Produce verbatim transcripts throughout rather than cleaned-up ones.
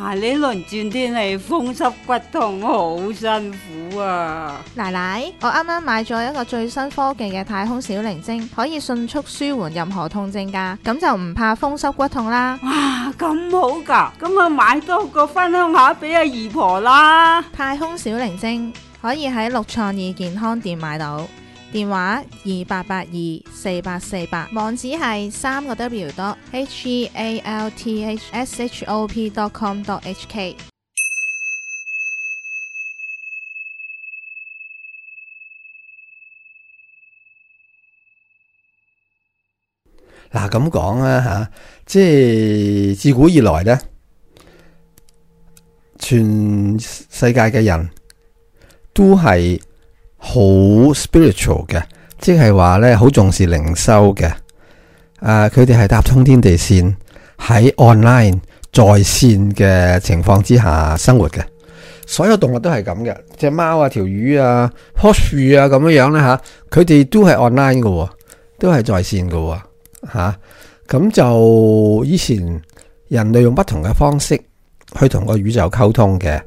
哇！呢輪轉天氣風濕骨痛好辛苦啊！奶奶，我啱啱買咗一個最新科技嘅太空小靈精，可以迅速舒緩任何痛症㗎，咁就唔怕風濕骨痛啦。哇，咁好㗎！咁啊買多個分享下俾阿姨婆啦。太空小靈精可以喺六創意健康店買到，電話二八八二四八四八，網址係三個 W dot H E A L T H S H O P dot com dot H K。嗱咁講啊吓，即係自古以來咧，全世界嘅人都係好 spiritual 嘅，即係話咧好重視靈修嘅。啊，佢哋係搭通天地線喺 online 在線嘅情況之下生活嘅。所有動物都係咁嘅，隻貓啊、條魚啊、棵樹啊咁樣樣咧吓，佢哋都係 online 嘅，都係在線嘅。吓，咁就以前人類用不同嘅方式去同個宇宙溝通嘅。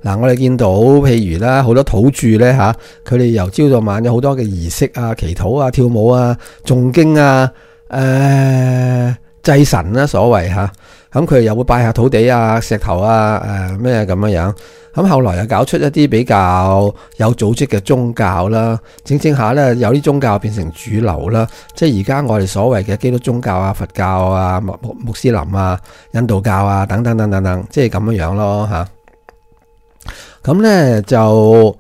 嗱，我哋見到譬如啦，好多土著咧吓，佢哋由朝到晚有好多嘅儀式啊、祈禱啊、跳舞啊、誦經啊、誒、呃、祭神啦，所謂吓。咁佢哋又會拜下土地啊、石頭啊、誒咩咁樣樣。咁後來又搞出一啲比較有組織嘅宗教啦，整整下咧有啲宗教變成主流啦，即係而家我哋所謂嘅基督宗教啊、佛教啊、穆穆斯林啊、印度教啊等等等等等，即係咁樣樣咯吓。咁咧就誒、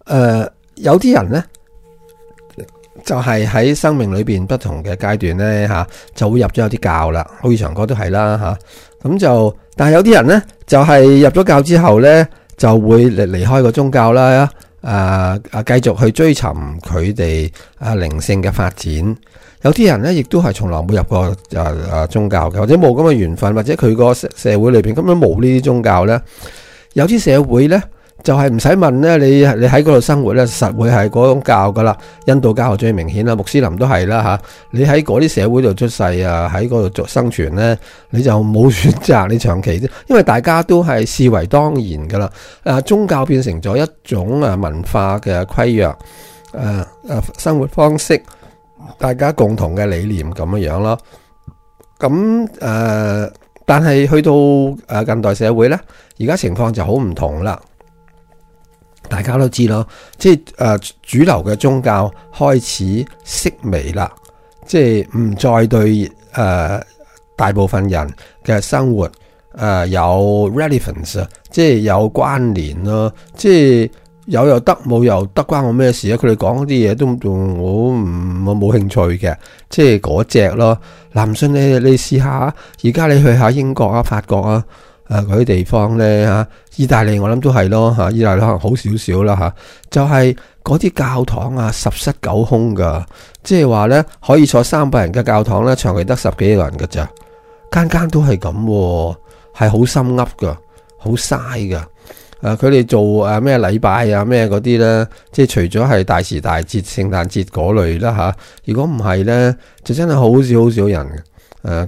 呃、有啲人咧就係、是、喺生命裏邊不同嘅階段咧吓，就會入咗有啲教啦，好似長哥都係啦吓。咁就但係有啲人咧就係、是、入咗教之後咧，就會離離開個宗教啦，啊啊繼續去追尋佢哋啊靈性嘅發展。有啲人咧，亦都係從來冇入過啊啊宗教嘅，或者冇咁嘅緣分，或者佢個社社會裏邊根本冇呢啲宗教咧。有啲社會咧，就係唔使問咧，你你喺嗰度生活咧，實會係嗰種教噶啦。印度教係最明顯啦，穆斯林都係啦吓。你喺嗰啲社會度出世啊，喺嗰度做生存咧，你就冇選擇，你長期啫，因為大家都係視為當然噶啦。啊，宗教變成咗一種啊文化嘅規約，誒誒生活方式，大家共同嘅理念咁樣樣咯。咁誒、呃，但係去到誒近代社會咧，而家情況就好唔同啦。大家都知咯，即係誒、呃、主流嘅宗教開始式微啦，即係唔再對誒、呃、大部分人嘅生活誒、呃、有 relevance 啊，即係有關聯咯，即係有又得，冇又得，關我咩事啊？佢哋講啲嘢都仲我唔我冇興趣嘅，即係嗰隻咯。嗱，唔信你你試下，而家你去下英國啊、法國啊。誒嗰啲地方咧嚇，意大利我諗都係咯嚇，意大利可能好少少啦嚇，就係嗰啲教堂啊十室九空噶，即係話咧可以坐三百人嘅教堂咧，長期得十幾個人㗎咋，間間都係咁，係好心噏噶，好嘥噶。誒佢哋做誒咩禮拜啊咩嗰啲咧，即係除咗係大時大節、聖誕節嗰類啦嚇，如果唔係咧，就真係好少好少人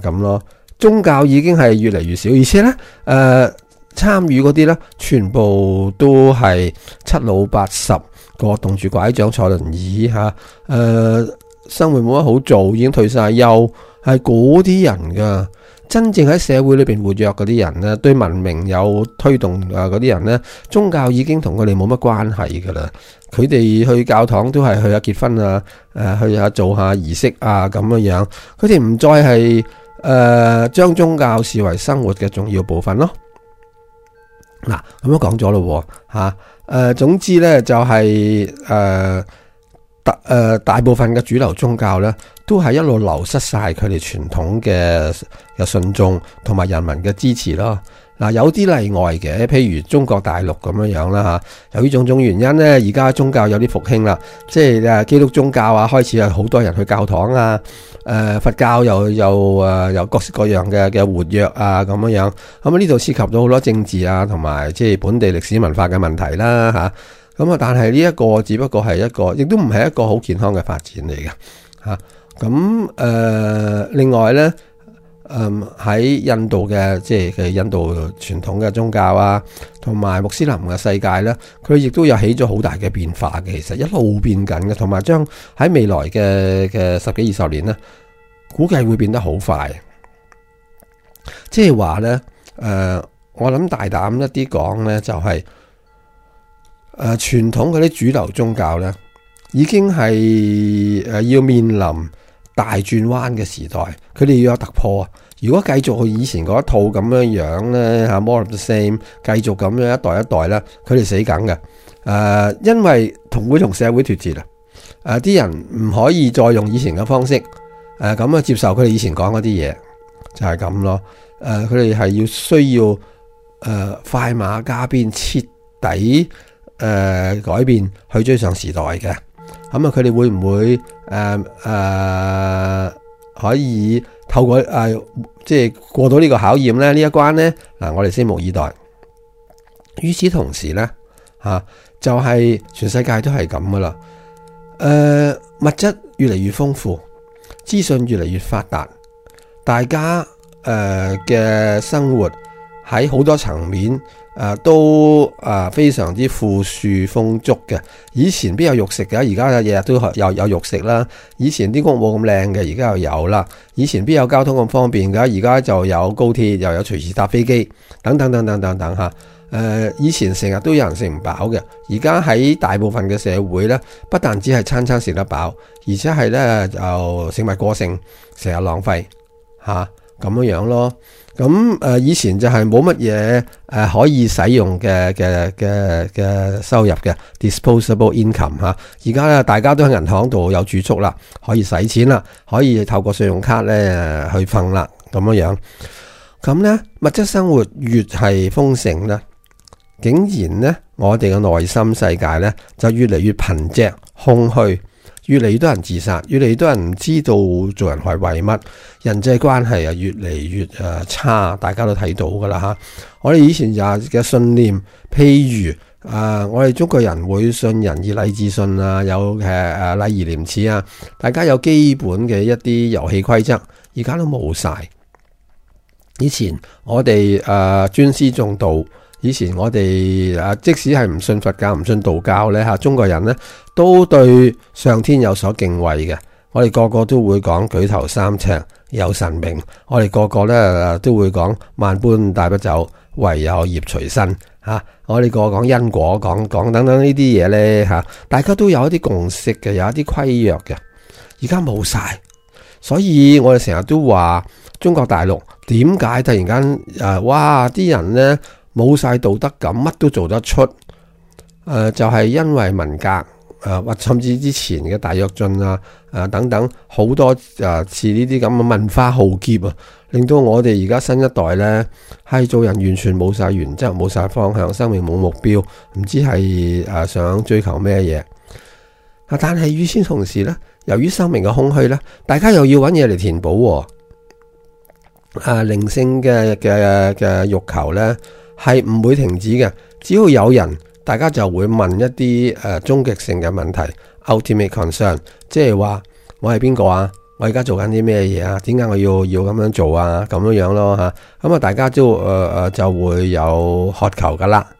誒咁咯。宗教已經係越嚟越少，而且咧，誒、呃、參與嗰啲咧，全部都係七老八十個，棟住拐杖坐輪椅嚇，誒、呃、生活冇乜好做，已經退晒休，係嗰啲人噶。真正喺社會裏邊活躍嗰啲人咧，對文明有推動啊嗰啲人咧，宗教已經同佢哋冇乜關係噶啦。佢哋去教堂都係去下結婚啊，誒去下做下儀式啊咁樣樣，佢哋唔再係。誒、呃，將宗教視為生活嘅重要部分咯。嗱，咁樣講咗咯，吓，誒、呃，總之咧就係、是、誒，大、呃、誒大部分嘅主流宗教咧，都係一路流失晒佢哋傳統嘅嘅信眾同埋人民嘅支持咯。嗱，有啲例外嘅，譬如中國大陸咁樣樣啦吓，由於種種原因咧，而家宗教有啲復興啦，即係誒基督宗教啊，開始有好多人去教堂啊，誒、呃、佛教又又誒有各式各樣嘅嘅活躍啊咁樣樣，咁啊呢度涉及到好多政治啊同埋即係本地歷史文化嘅問題啦吓，咁啊但係呢一個只不過係一個，亦都唔係一個好健康嘅發展嚟嘅吓，咁、啊、誒、呃、另外咧。誒、嗯喺印度嘅即係嘅印度傳統嘅宗教啊，同埋穆斯林嘅世界咧，佢亦都有起咗好大嘅變化嘅。其實一路變緊嘅，同埋將喺未來嘅嘅十幾二十年咧，估計會變得好快。即係話咧，誒、呃，我諗大膽一啲講咧，就係、是、誒、呃、傳統嗰啲主流宗教咧，已經係誒、呃、要面臨大轉彎嘅時代，佢哋要有突破。如果繼續去以前嗰一套咁樣樣咧，吓 more of the same， 繼續咁樣一代一代咧，佢哋死梗嘅。誒、呃，因為同會同社會脫節啦。誒、呃，啲人唔可以再用以前嘅方式，誒咁啊接受佢哋以前講嗰啲嘢，就係、是、咁咯。誒、呃，佢哋係要需要誒、呃、快馬加鞭，徹底誒、呃、改變去追上時代嘅。咁、嗯、啊，佢哋會唔會誒誒、呃呃、可以透過誒、呃、即係過到呢個考驗咧？呢一關咧，嗱，我哋拭目以待。與此同時咧，吓、啊、就係、是、全世界都係咁噶啦。誒、呃，物質越嚟越豐富，資訊越嚟越發達，大家誒嘅、呃、生活喺好多層面。誒、呃，都誒、呃、非常之富庶豐足嘅。以前邊有肉食嘅，而家日日都有有肉食啦。以前啲屋冇咁靚嘅，而家又有啦。以前邊有交通咁方便嘅，而家就有高鐵，又有隨時搭飛機，等等等等等等吓。誒、呃，以前成日都有人食唔飽嘅，而家喺大部分嘅社會咧，不但只係餐餐食得飽，而且係咧就食物過剩，成日浪費吓咁樣樣咯。咁誒、呃，以前就係冇乜嘢誒可以使用嘅嘅嘅嘅收入嘅 disposable income 吓，而家咧大家都喺銀行度有儲蓄啦，可以使錢啦，可以透過信用卡咧去瞓啦，咁樣樣。咁咧物質生活越係豐盛咧，竟然咧我哋嘅內心世界咧就越嚟越貧瘠空虛。越嚟越多人自殺，越嚟越多人唔知道做人係為乜，人際關係啊越嚟越誒差，大家都睇到噶啦吓。我哋以前就嘅信念，譬如誒、呃，我哋中國人會信仁義禮智信啊，有誒誒禮義廉恥啊，大家有基本嘅一啲遊戲規則，而家都冇晒。以前我哋誒尊師重道。以前我哋啊，即使係唔信佛教、唔信道教咧嚇，中國人咧都對上天有所敬畏嘅。我哋個個都會講舉頭三尺有神明，我哋個個咧都會講萬般帶不走，唯有業隨身嚇。我哋個個講因果，講講等等呢啲嘢咧嚇，大家都有一啲共識嘅，有一啲規約嘅。而家冇晒，所以我哋成日都話中國大陸點解突然間誒哇啲人咧？冇晒道德感，乜都做得出，誒、呃、就係、是、因為文革，誒、呃、或甚至之前嘅大躍進啊，誒、呃、等等好多誒似呢啲咁嘅文化浩劫啊，令到我哋而家新一代咧係做人完全冇晒原則，冇晒方向，生命冇目標，唔知係誒想追求咩嘢啊！但係與此同時咧，由於生命嘅空虛咧，大家又要揾嘢嚟填補，誒靈性嘅嘅嘅欲求咧。係唔會停止嘅，只要有人，大家就會問一啲誒終極性嘅問題 ，ultimate concern， 即係話我係邊個啊？我而家做緊啲咩嘢啊？點解我要要咁樣做啊？咁樣樣咯吓，咁啊大家都誒誒、呃、就會有渴求噶啦。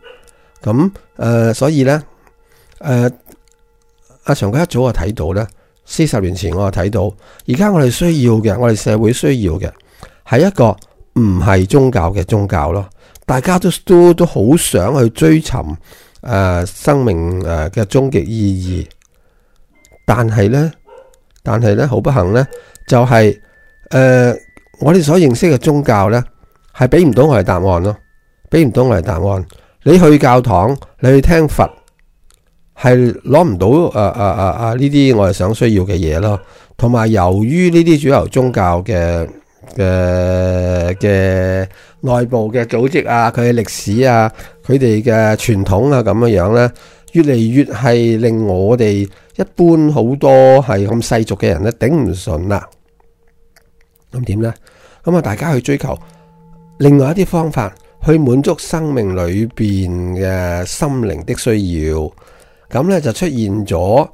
咁誒、呃、所以咧，誒、呃、阿長哥一早就睇到咧，四十年前我就睇到，而家我哋需要嘅，我哋社會需要嘅係一個唔係宗教嘅宗教咯。大家都都都好想去追尋誒、呃、生命誒嘅終極意義，但係咧，但係咧好不幸咧，就係、是、誒、呃、我哋所認識嘅宗教咧，係俾唔到我哋答案咯，俾唔到我哋答案。你去教堂，你去聽佛，係攞唔到誒誒誒誒呢啲我哋想需要嘅嘢咯。同埋由於呢啲主流宗教嘅嘅嘅內部嘅組織啊，佢嘅歷史啊，佢哋嘅傳統啊，咁樣樣咧，越嚟越係令我哋一般好多係咁世俗嘅人咧頂唔順啦。咁點咧？咁啊，大家去追求另外一啲方法去滿足生命裏邊嘅心靈的需要，咁咧就出現咗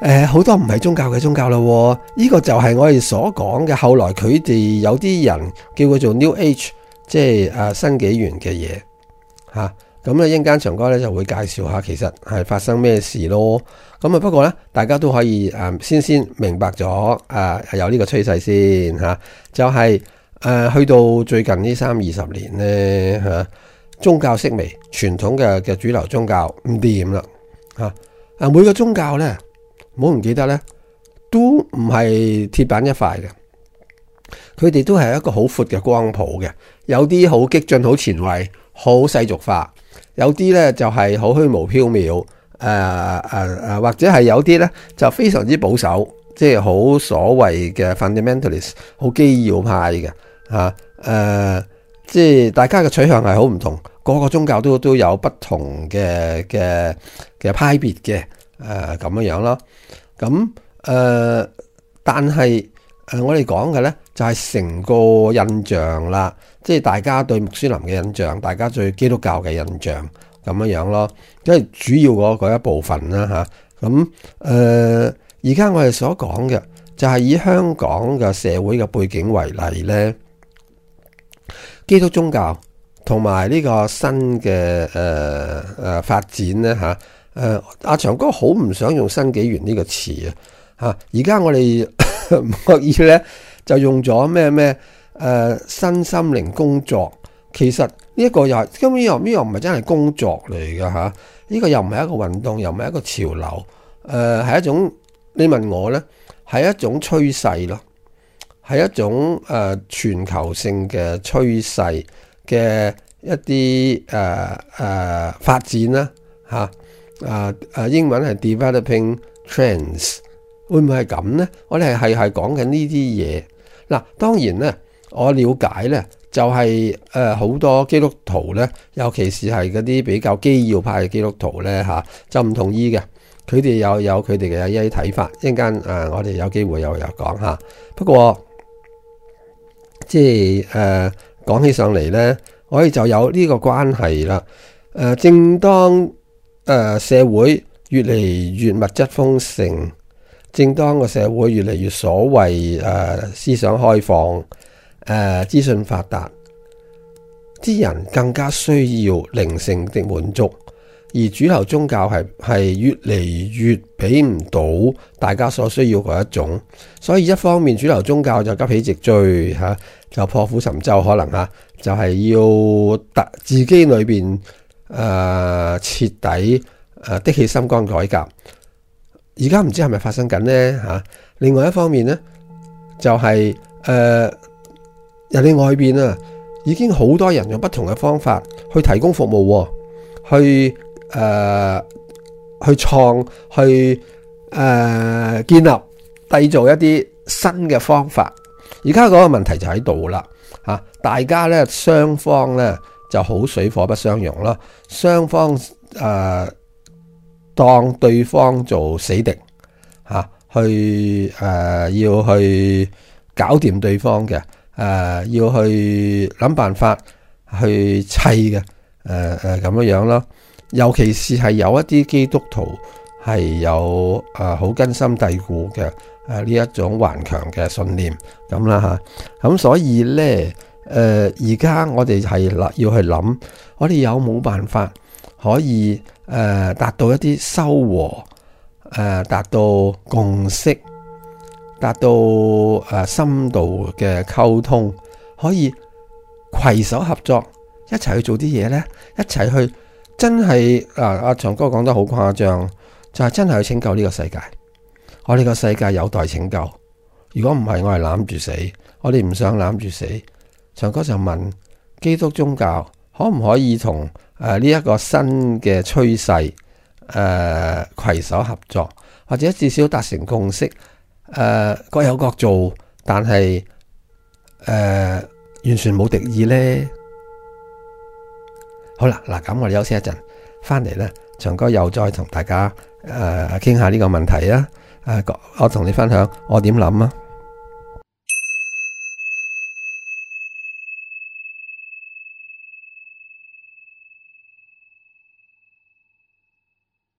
誒，好多唔係宗教嘅宗教咯，呢個就係我哋所講嘅。後來佢哋有啲人叫佢做 New Age， 即係誒新紀元嘅嘢吓。咁咧，一陣間長哥咧就會介紹下，其實係發生咩事咯。咁啊，不過咧，大家都可以誒先先明白咗誒有呢個趨勢先吓，就係誒去到最近呢三二十年咧吓，宗教式微，傳統嘅嘅主流宗教唔掂啦吓。啊，每個宗教咧。唔好唔記得咧，都唔係鐵板一塊嘅，佢哋都係一個好闊嘅光譜嘅。有啲好激進、好前衛、好世俗化；有啲咧就係好虛無縹緲，誒誒誒，或者係有啲咧就非常之保守，即係好所謂嘅 fundamentalist， 好基要派嘅嚇誒，即係大家嘅取向係好唔同，個個宗教都都有不同嘅嘅嘅派別嘅。誒咁樣樣咯，咁誒、呃，但係誒、呃、我哋講嘅咧就係、是、成個印象啦，即係大家對穆斯林嘅印象，大家對基督教嘅印象咁樣樣咯，即係主要嗰嗰一部分啦吓。咁誒而家我哋所講嘅就係以香港嘅社會嘅背景為例咧，基督宗教同埋呢個新嘅誒誒發展咧吓。誒、呃，阿長哥好唔想用新紀元呢個詞啊！吓，而家我哋唔覺意咧就用咗咩咩誒新心靈工作，其實呢一個又係根本又呢又唔係真係工作嚟噶吓，呢、這個又唔係一個運動，又唔係一個潮流，誒、呃、係一種你問我咧係一種趨勢咯，係一種誒、呃、全球性嘅趨勢嘅一啲誒誒發展啦吓。啊啊！英文係 developing trends， 會唔會係咁呢？我哋係係講緊呢啲嘢。嗱，當然咧，我了解咧就係誒好多基督徒咧，尤其是係嗰啲比較基要派嘅基督徒咧嚇、啊，就唔同意嘅。佢哋有有佢哋嘅一啲睇法。一陣間誒，我哋有機會又有講下。不過即係誒講起上嚟咧，我哋就有呢個關係啦。誒、呃，正當誒、呃，社會越嚟越物質豐盛，正當個社會越嚟越所謂誒、呃、思想開放，誒、呃、資訊發達，啲人更加需要靈性的滿足，而主流宗教係係越嚟越俾唔到大家所需要嗰一種，所以一方面主流宗教就急起直追吓、啊，就破釜沉舟，可能吓、啊、就係、是、要特自己裏邊。誒、呃，徹底誒、呃，的起心肝改革，而家唔知係咪發生緊呢？吓、啊？另外一方面呢，就係、是、誒、呃，人哋外邊啊，已經好多人用不同嘅方法去提供服務，去誒、呃，去創，去誒、呃，建立、締造一啲新嘅方法。而家嗰個問題就喺度啦，吓、啊，大家咧，雙方咧。就好水火不相容咯，雙方誒、呃、當對方做死敵嚇、啊，去誒、呃、要去搞掂對方嘅，誒、呃、要去諗辦法去砌嘅，誒誒咁樣樣咯。尤其是係有一啲基督徒係有誒好、呃、根深蒂固嘅誒呢一種頑強嘅信念咁啦嚇，咁、啊、所以咧。誒而家我哋係啦，要去諗，我哋有冇辦法可以誒、呃、達到一啲修和，誒、呃、達到共識，達到誒、呃、深度嘅溝通，可以攜手合作，一齊去做啲嘢咧，一齊去真係啊！阿長哥講得好誇張，就係、是、真係去拯救呢個世界。我哋個世界有待拯救，如果唔係，我係攬住死，我哋唔想攬住死。長哥就問基督宗教可唔可以同誒呢一個新嘅趨勢誒攜手合作，或者至少達成共識，誒、呃、各有各做，但係誒、呃、完全冇敵意呢？好啦，嗱咁我哋休息一陣，翻嚟咧，長哥又再同大家誒傾下呢個問題啊！誒、呃，我同你分享我點諗啊！